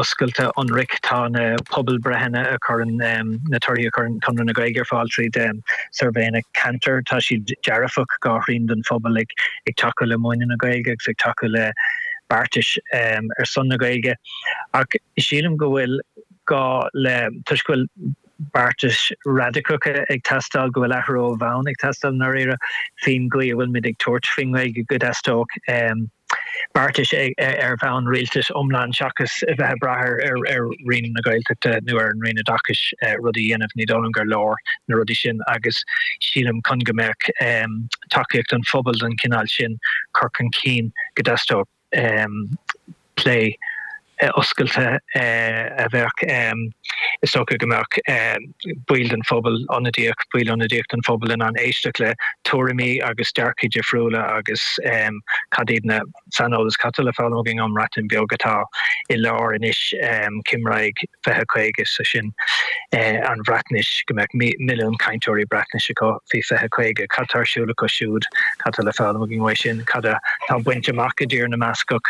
oscailte, ionraic. Tá na pobalbhreitheanna a chuireann, na torthaí a chuireann Conradh na Gaeilge ar fáil tríd suirbhéanna ceantair, tá siad dearfach, dhá thrian den phobal ag tacú le múineadh na Gaeilge agus ag tacú le beartais ar son na Gaeilge. Ach sílim go bhfuil gá le, toisc go bhfuil beartais radicacha ag teastáil, go bhfuil athrú ó bhonn ag teastáil i ndáiríre faoin gcaoi a bhfuilimid ag tabhairt faoin nGaeilge, go dteastódh beartais ar bhonn rialtais iomlán seachas a bheith ag brath ar Roinn na Gaeltachta nó ar an Roinn Oideachais rudaí a dhéanamh. Ní dóigh liom gur leor na rudaí sin agus sílim chun go mbeadh tacaíocht an phobail don chineál sin cur chun cinn go dteastódh plé oscailte a bheadh, is dócha go mbeadh baill den phobal ionadaíoch, baill ionadaíoch den phobal in ann éisteacht le tuairimí agus dearcaí difriúla agus cad iad na saineolas, cad tá le foghlaim againn ón mBreatain Bheag atá i lár anois Cymraeg 2050, is é sin an Bhreatnais, go mbeadh milliún cainteoirí Breatnaise acu faoi 2050. Cad tá ar siúl acu siúd? Cad tá le foghlaim againn uaidh sin? Cad atá bainte amach i dTír na mBascach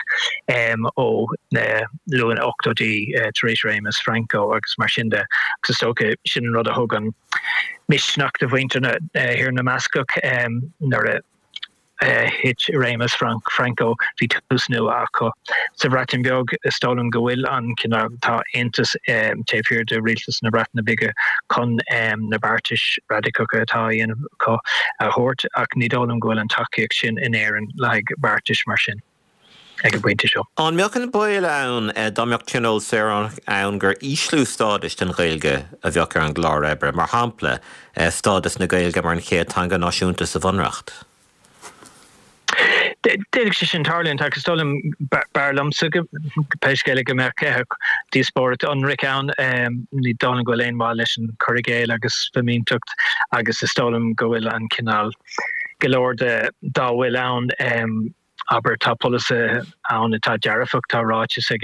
ó na luath-ochtóidí tar éis réimeas Franco agus mar sin de? Agus is dócha sin an rud a thug an misneach do mhuintir Thír na mBascach nuair a thit réimeas Franco, bhí tús nua acu. Sa Bhreatain Bheag, is dóigh liom go bhfuil an cineál, tá aontas taobh thiar de rialtas na Breataine Bige chun na beartais radicacha atá á dhéanamh acu a thabhairt, ach ní dóigh liom go bhfuil an tacaíocht sin in Éirinn le haghaidh beartais mar sin ag an bpointe seo. An mbeadh an baol ann dá mbeadh tionól saoránach ann gur ísliú stádais don Ghaeilge a bheadh ar an gclár oibre, mar shampla, stádas na Gaeilge mar an chéad teanga náisiúnta sa Bhunreacht? D'fhéadfadh sé sin tarlúint ach is dóigh liom, b'fhearr liomsa pé scéal é go mbeadh díospóireacht ionraic ann. Ní dóigh liom go bhfuil aon mhaith leis an cur i gcéill agus fimínteacht agus is dóigh liom go bhfuil an cineál, go leor de dá bhfuil ann, Abair, tá polasaithe ann atá dearfach, tá ráiteas ag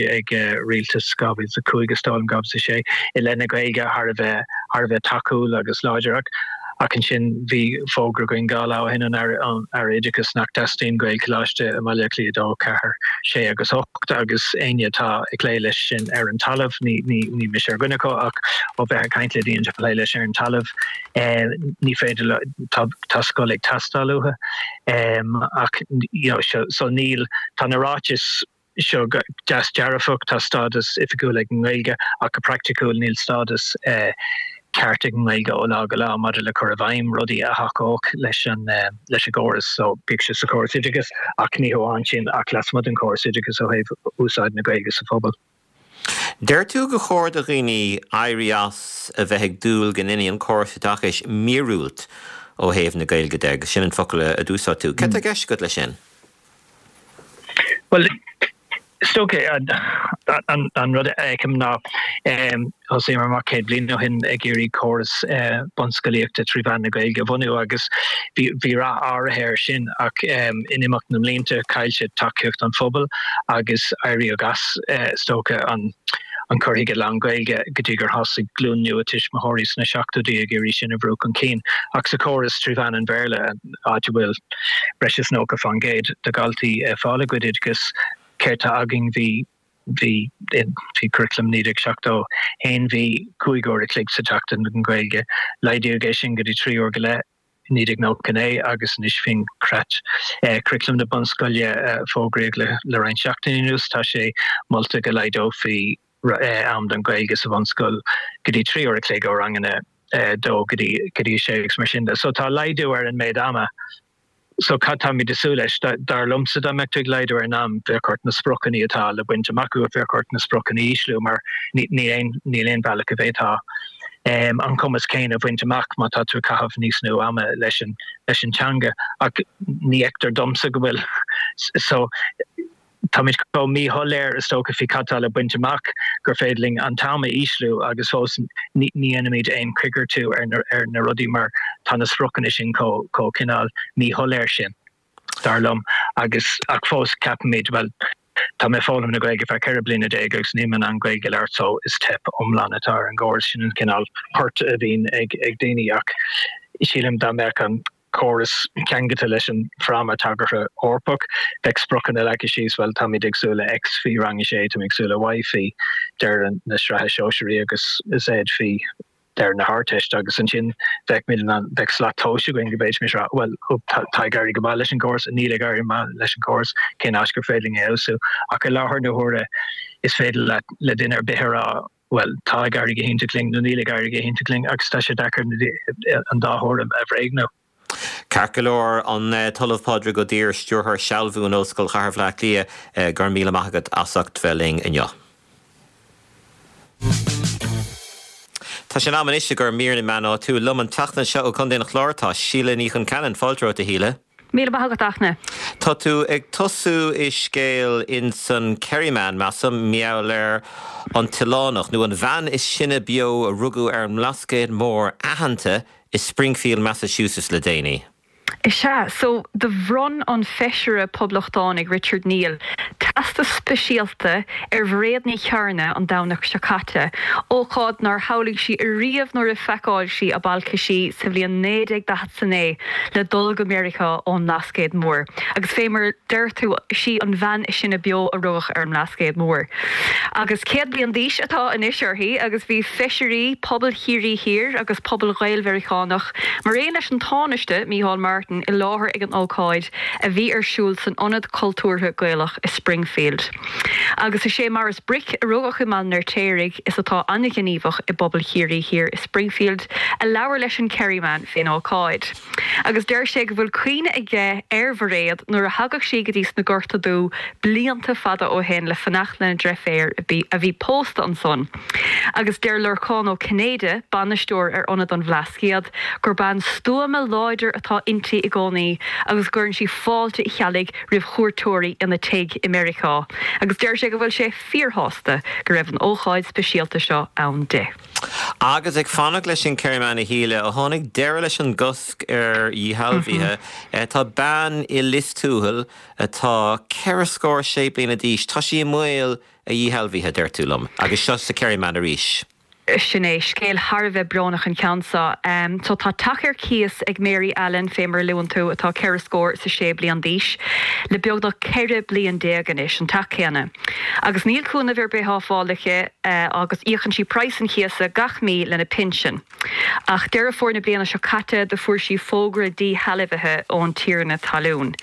rialtas 2005 is dóigh liom, 2006, i leith na Gaeilge thar a bheith, thar a bheith tacúil agus láidir. Ach ansin bhí fógra againn 2 lá ó shin ón Aire Oideachais nach dteastaíonn Gaelcholáiste i mBaile Átha Cliath 2, 4, 6 agus 8 agus éinne atá ag plé leis sin ar an talamh, ní mise ar dhuine acu ach ó bheith ag caint le daoine atá ag plé leis ar an talamh, ní féidir leo, tá scoil ag teastáil uathu ach you know so níl, tá na ráitis seo deas dearfach, tá stádas oifigiúil ag an nGaeilge ach go praiticiúil níl stádas ceart ag an nGaeilge ó lá go lá maidir le cur i bhfeidhm rudaí a thacódh leis an leis an gcóras so bíodh sé sa chóras oideachais ach ní hamháin sin ach lasmuigh den chóras oideachais ó thaobh úsáid na Gaeilge sa phobal. Deir tú gur chóir do dhaoine éirí as a bheith ag dúil go ndéanfaidh an córas oideachais míorúilt ó thaobh na Gaeilge de, agus sin an focal a d'úsáid tú. Cad tá i gceist agat leis sin? Bhuel, is dócha an rud a fheicim ná thosaíomar amach 100 bliain ó shin ag iarraidh córas bunscolaíochta trí mheán na Gaeilge a bhunú agus bhí rath áirithe air sin ach in imeacht na mblianta chaill sé tacaíocht an phobail agus éiríodh as, is dócha, an an cur chuige lán-Ghaeilge go dtí gur thosaigh glúin nua tuismitheoirí sna seachtóidí ag iarraidh sin a bhrú chun cinn. Ach sa chóras trí mheán an Bhéarla, áit a bhfuil breis is 90% de dhaltaí ag fáil a gcuid oideachais, céard tá againn? Bhí, bhí, faoi Curriculum 1971 bhí 5 uair a chloig sa tseachtain don Ghaeilge. Laghdaíodh é sin go dtí 3 uair go leith i 1999 agus anois faoin gCreat Curriculum na Bunscoile a fógraíodh le roinnt seachtainí anuas, tá sé molta go laghdófaí am don Ghaeilge sa bhunscoil go dtí 3 uair a chloig ó ranganna 2 go dtí 6 agus mar sin de. So tá laghdú ar an méid ama. So cad táimid ag súil leis? Dar liomsa dá mbeadh tú ag laghdú ar an am, bheadh ort na spriocanna atá le baint amach agat, bheadh ort na spriocanna a ísliú mar níl aon, níl aon bhealach go bhféadfá an cumas céanna a bhaint amach má tá tú ag caitheamh níos lú ama leis an, leis an teanga. Ach ní fheictear domsa go bhfuil. So. Táimid chomh míshoiléir, is dócha, faoi cad tá le baint amach gur féidir linn an t-am a ísliú agus fós ní dhéanaimid aon choigeartú ar na rudaí mar tá na spriocanna sin chomh cineál míshoiléir sin, dar liom. Agus, ach fós ceapaimid, bhuel, tá mé ag foghlaim na Gaeilge feadh 14 bliana agus níl mé in ann Gaeilge a labhairt so is teip iomlán atá ar an gcóras. Sin an cineál port a bhíonn ag daoine ach sílim dá mbeadh an córas ceangailte leis an bhFráma Tagartha Eorpach. Bheadh spriocanna leagtha síos, bhuel, táimid ag súil le X faoi rang a sé, táimid ag súil le Y faoi deireadh na sraithe sóisearaí agus Z faoi deireadh na hArdteiste agus ansin bheadh muid in ann, bheadh slat tomhais againn go bhféadfaimis a rá, bhuel, tá ag éirí go maith leis an gcóras, níl ag éirí go maith leis an gcóras, cén áit gur féidir linn é a fheabhsú. Ach i láthair na huaire is féidir leat, le duine ar bith a rá, bhuel, tá ag éirí go hiontach linn nó níl ag éirí go hiontach linn agus tá sé deacair an dá thuairim a bhréagnú. Ceart go leor, an tOllamh Pádraig Ó Duibhir, Stiúrthóir Sealbhú in Ollscoil Chathair Bhaile Átha Cliath, go raibh míle maith agat as ucht bheith linn inniu. Tá sé in am anois i gcomhair mír na meán áitiúil. Liom an tseachtain seo ó Chontae an Chláir tá Síle Ní Chonceanainn. Fáilte romhat a Shíle. Míle maith agat, Fhachtna. Tá tú ag tosú i scéal insan Kerryman, measaim, mar gheall ar an t-oileánach, nó an bhean is sine beo a rugadh ar an mBlascaod Mór aitheanta i Springfield, Massachusetts le déanaí. Is ea. So, do bhronn an Feisire Poblachtánaigh Richard Neal teastas speisialta ar Mhairéad Ní Chearna an Domhnach seo caite, ócáid nár shamhlaigh sí ariamh nuair a phacáil sí a balcaisí sa bhliain 1949 le dul go Meiriceá ón mBlascaod Mór. Agus fé mar a deir tú, sí an bhean is sine beo a rugadh ar an mBlascaod Mór. Agus 100 bliain d'aois atá anois uirthi agus bhí feisirí pobal Chiarraí Thiar agus pobal Ghael-Mheiriceánach mar aon leis an Tánaiste, Micheál Martin, i láthair ag an ócáid a bhí ar siúl san Ionad Cultúrtha Gaelach i Springfield. Agus is é Maurice Brick, a rugadh i mBaile an Fheirtéaraigh is atá an-ghníomhach i bpobal Chiarraí Thiar i Springfield, a labhair leis an Kerryman fén ócáid. Agus deir sé go bhfuil cuimhne aige ar Mhairéad nuair a thagadh sí go dtí sna Gorta Dubha blianta fada ó shin le fanacht lena dreiféar a bhí pósta ansan. Agus deir Lorcán Ó Cinnéide, bainisteoir ar Ionad an Bhlascaoid, gur bean stuama láidir atá inti i gcónaí agus go gcuireann sí fáilte Uí Cheallaigh roimh chuairteoirí ina tigh i Meiriceá agus deir sé go bhfuil sé fíorshásta go raibh an ócáid speisialta seo ann di. Agus ag fanacht leis an Kerryman a Shíle, ó tháinig deireadh leis an gcosc ar dhíshealbhuithe, tá bean i Lios Tuathail atá ceithre scór is sé bliana d'aois, tá sí i mbaol a dhíshealbhaithe, deir tú liom, agus seo sa Kerryman arís. Sin é. Scéal thar a bheith brónach an ceann seo. So tá teach ar cíos ag Mary Allen, fé mar a luann tú, atá ceithre scór is a sé bliain d'aois, le beagnach 14 bliain anois, an teach céanna. Agus níl cúnamh ar bith á fáil aici agus íocann sí praghas an chíosa gach mí lena pinsean. Ach Deireadh Fómhair na bliana seo caite do fuair sí fógra díshealbhaithe ón tiarna talún.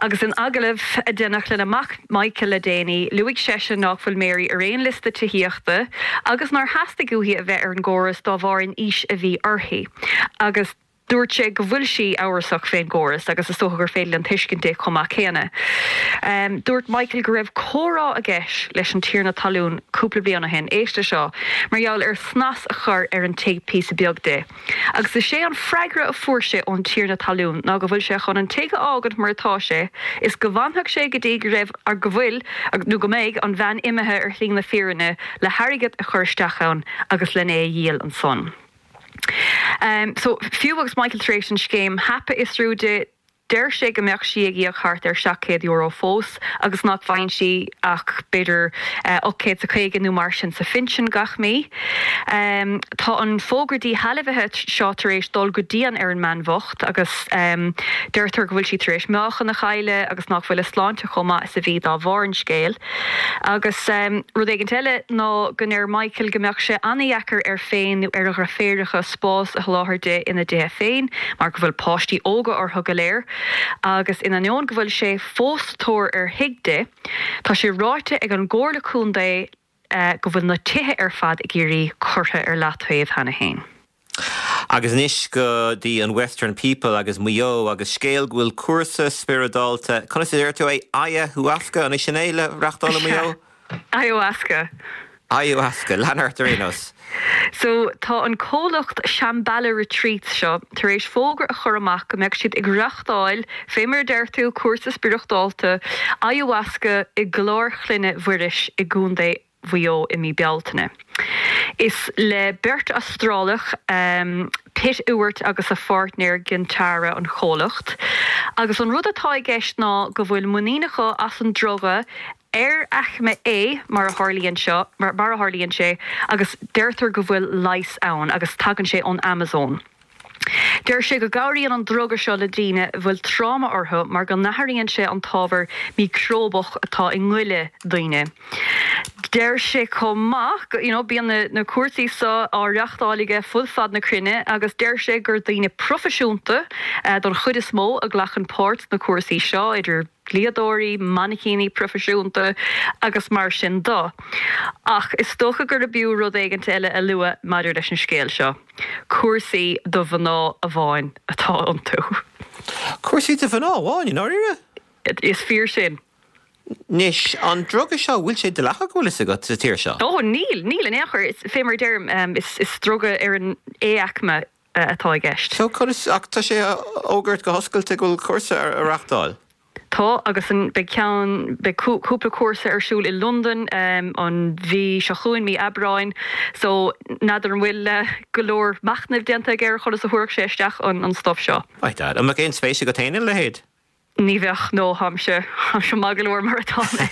Agus in agallamh a deineadh lena mac Michael le déanaí, luaigh seisean nách bhfuil Mary ar aon liosta tithíochta agus nár theastaigh uaithi a bheith ar an gcóras dá bharr an aois a bhí uirthi. Agus. Dúirt sé go bhfuil sí amhrasach fén gcóras agus is dócha gur féidir linn tuiscint di chomh maith céanna. Dúirt Michael go raibh comhrá aige leis an tiarna talún cúpla bliain ó shin, éist le seo, mar gheall ar snas a chur ar an tigh píosa beag di. Agus is é an freagra a fuair sé ón tiarna talún ná go bhfuil sé chun an tigh a fhágaint mar atá sé is go bhfanfadh sé go dtí go raibh, go bhfuil, nó go mbeidh an bhean imithe ar shlí na fírinne le hairgead a chur isteach ann agus len é a dhíol ansan. So, fiú agus Michael tar éis an scéim HAP a fhiosrú di, deir sé go mbeadh sí ag íoc thart ar €700 fós agus nach bhfaigheann sí ach b'fhéidir 850 nó mar sin sa phinsean gach mí. Tá an fógra díshealbhaithe seo tar éis dul go dian ar an mbean bhocht agus deirtear go bhfuil sí tar éis meáchan a chailleadh agus nach bhfuil a sláinte chomh maith is a bhí dá bharr an scéil. Agus rud éigint eile ná go ndeir Michael go mbeadh sé an-dheacair air féin nó ar a dhreirféaracha spás a sholáthar di ina dtithe féin mar go bhfuil páistí óga orthu go léir agus in ainneoin go bhfuil sé fós sa tóir ar thigh di, tá sé ráite ag an gComhairle Contae go bhfuil na tithe ar fad i gCiarraí curtha ar leataobh cheana féin. Agus anois go dtí an Western People agus Maigh Eo agus scéal go bhfuil cúrsa spioradálta, conas a deir tú é, Ayahuasca, an é sin é, le reachtáil i Maigh Eo? Ayahuasca. Ayahuasca, lean ort ar aon nós. So, tá an comhlacht Shambhala Retreats seo tar éis fógra a chur amach go mbeadh siad ag reachtáil, fé mar a deir tú, cúrsa spioradálta Ayahuasca i gClár Chlainne Mhuiris i gContae Mhaigh Eo i mí Bealtaine. Is le beirt Astrálach, Pit Ewart agus a pháirtnéir Gintara an chomhlacht, agus an rud atá i gceist ná go bhfuil muinín acu as an druga ar aicme A mar a tharlaíonn seo, mar a tharlaíonn sé, agus deirtear go bhfuil leigheas ann agus tagann sé ón Amazon. Deir sé go gcabhraíonn an druga seo le daoine a bhfuil tráma orthu mar go n-athraíonn sé an t-ábhar miocróbach atá i ngoile daoine. Deir sé chomh maith go, you know, bíonn na na cúrsaí seo á reachtáil aige fud fad na cruinne agus deir sé gur daoine proifisiúnta don chuid is mó a ghlacann páirt sna cúrsaí seo, idir dlíodóirí, mainicíní proifisiúnta agus mar sin de. Ach is dócha gurb fhiú rud éigint eile a lua maidir leis an scéal seo. Cúrsaí do mhná amháin atá iontu. Cúrsaí do mhná amháin, i ndáiríre? Is fíor sin. Anois, an druga seo, bhfuil sé dleathach, bhfuil fhios agat, sa tír seo? Ó, níl, níl in aon chor. Fé mar a deirim, is druga ar an A-aicme atá i gceist. So, conas, ach tá sé á fhógairt go hoscailte go bhfuil cúrsa á reachtáil? Tá, agus an, beidh ceann, beidh cúpla cúrsa ar siúl i Londain an mhí seo chugainn, mí Aibreáin, so n'fheadar an bhfuil go leor machnaimh déanta aige ar chonas a thabharfadh sé isteach an an stuif seo. My dad. An mbeadh aon spéis agat féin ina leithéid? Ní bheadh, no, táimse, táimse maith go leor mar atá mé.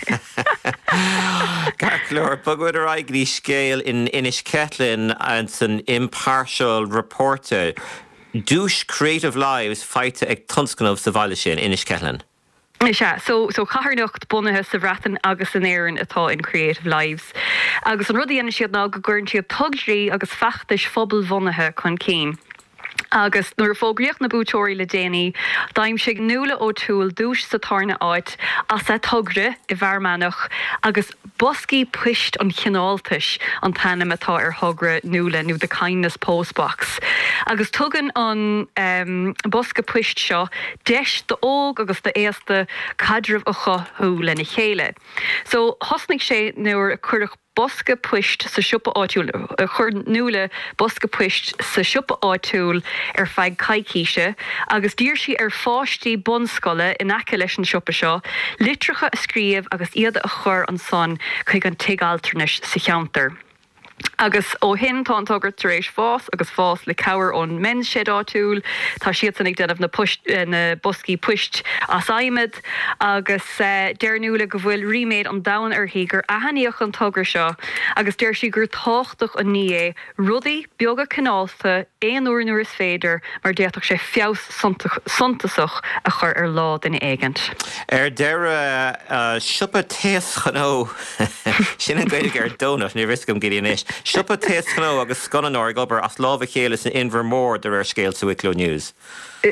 Ceart go leor, bogfaimid ar aghaidh go dtí scéal in Inis Ceithleann san Impartial Reporter. Duais Creative Lives faighte ag tionscnamh sa bhaile sin, Inis Ceithleann. Is ea. So, so carthanacht bunaithe sa Bhreatain agus in Éirinn atá in Creative Lives. Agus an rud a dhéanann siad ná go gcuireann siad tograí agus feachtais phobalbhunaithe chun cinn. Agus nuair a fógraíodh na buaiteoirí le déanaí, d'aimsigh Nuala O'Toole duais sa tarna áit as a togra i bhFear Manach agus Boscaí Poist an Chineáltais an t-ainm atá ar thogra Nuala, nó The Kindness Postbox, agus tugann an bosca poist seo deis d'óg agus d'aosta caidreamh a chothú lena chéile. So, thosnaigh sé nuair a cuireadh bosca poist sa siopa áitiúil, chuir Nuala bosca poist sa siopa áitiúil ar feadh coicíse agus d'iarr sí ar pháistí bunscoile in aice leis an siopa seo litreacha a scríobh agus iad a chur ansan chuig an tigh altranais sa cheantar. Agus ó shin tá an togra tar éis fás agus fás le cabhair ón Men's Shed áitiúil. Tá siadsan ag déanamh na poist, na boscaí poist as adhmad agus deir Nuala go bhfuil ríméad an domhain uirthi gur aithníodh an togra seo agus deir sí gur tábhachtach an ní é rudaí beaga cineálta aon uair nuair is féidir mar d'fhéadfadh sé feabhas suntasach a chur ar lá duine éigint. Ar deireadh, siopa taoschnó, sin an Ghaeilge ar donut, ní raibh fhios agam go dtí anois, siopa taoschnó agus scannánóir ag obair as lámh a chéile san Inbhear Mór de réir scéil sa Wicklow News.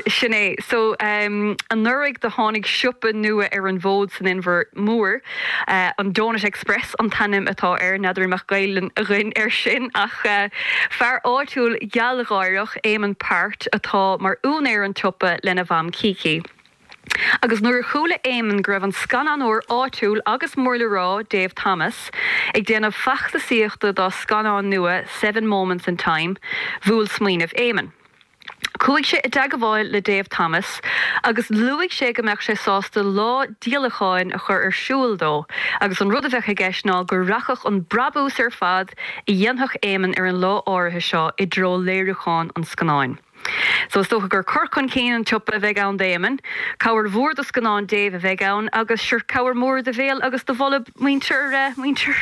Sin é. So, anuraidh do tháinig siopa nua ar an bhfód san Inbhear Mór, an Donut Express an t-ainm atá air, n'fheadar an mbeadh Gaelainn againn air sin ach fear áitiúil gealgháireach, Éamonn Peart, atá mar úinéir an tsiopa lena mham Kiki. Agus nuair a chuala Éamonn go raibh an scannánóir áitiúil agus mór le rá, Dave Thomas, ag déanamh feachtasaíochta dá scannán nua Seven Moments in Time, bhuail smaoineamh Éamonn. Chuaigh sé i dteagmháil le Dave Thomas agus luaigh sé go mbeadh sé sásta lá díolacháin a chur ar siúl dó agus an rud a bheadh i gceist ná go rachadh an brabús ar fad a dhéanfadh Éamonn ar an lá áirithe seo i dtreo léiriúchán an scannáin. So is dócha gur cur chun cinn an tsiopa a bheidh ann d'Éamonn, cabhair mhór do scannán Dave a bheidh ann agus sure cabhair mhór do bhéal agus do bholb muintir muintir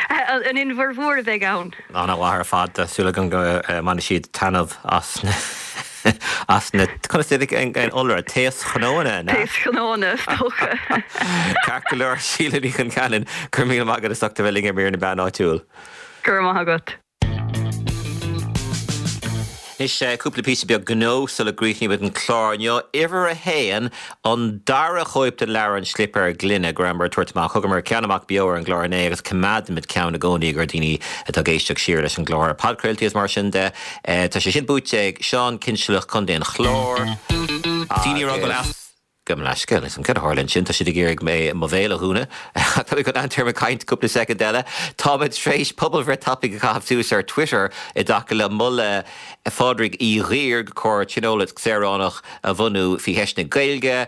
an Inbhir Mhóir a bheidh ann. Ana-mhaith ar fad. Tá súil agam go mbainfidh siad taitneamh as na as na conas iad an iolra? Taoschnónna, an ea? Taoschnónna, is dócha. Ceart go leor, Síle Ní Choncheanainn, go raibh míle maith agat as ucht a bheith linn ar Mír na Meán Áitiúil. Go raibh maith agat. Anois, cúpla píosa beag gnó sula gcríochnaímid an clár inniu. Uimhir a haon, an dara chóip den leabhar An Slipéar Gloine go rabhamar ag tabhairt amach. Thugamar ceann amach beo ar an gclár inné agus coimeádaimid ceann i gcónaí i gcomhair daoine atá ag éisteacht siar leis an gclár ar podchraoltaí is mar sin de. Tá sé sin buaite ag Seán Cinnsealach, Contae an Chláir, agus. Gabh mo leithscéal, níl 's agam céard a tharla ansin, tá siad ag iarraidh mé mo bhéal a dhúnadh. Ach tá mé chun leanúint ar mo chaint cúpla soicind eile. Táimid tar éis pobalbhreith tapaidh a chaitheamh suas ar Twitter i dtaca le moladh Phádraig Uí Dhuibhir gur chóir Tionól Saoránach a bhunú faoi cheist na Gaeilge.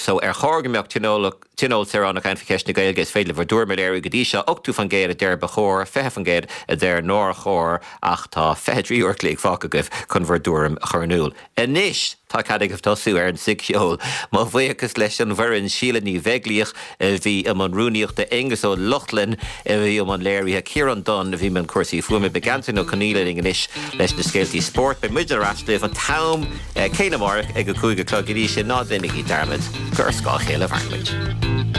So ar chóir go mbeadh Tionól Saoránach ann faoi cheist na Gaeilge? Is féidir libh bhur dtuairim a léiriú go dtí seo. 80% a deir ba chóir, 20% a deir nár chóir ach tá 23 uair a chloig fágtha agaibh chun bhur dtuairim a chur in iúl. Anois tá cead agaibh tosú ar an tSighcheol. Mo bhuíochas leis an bhfoireann, Síle Ní Bheaglaoich a bhí i mbun rúnaíochta, Aengus Ó Lochlainn a bhí i mbun léirithe, Ciarán Dunne a bhí i mbun cúrsaí fuaime. Beidh Antain Ó Conghaile linn anois leis na scéaltaí spóirt. Beidh muid ar ais libh an t-am céanna amárach ag a 5 a chlog. Go dtí sin, ná déanaigí dearmad gur ar scáth a chéile a mhaireann muid.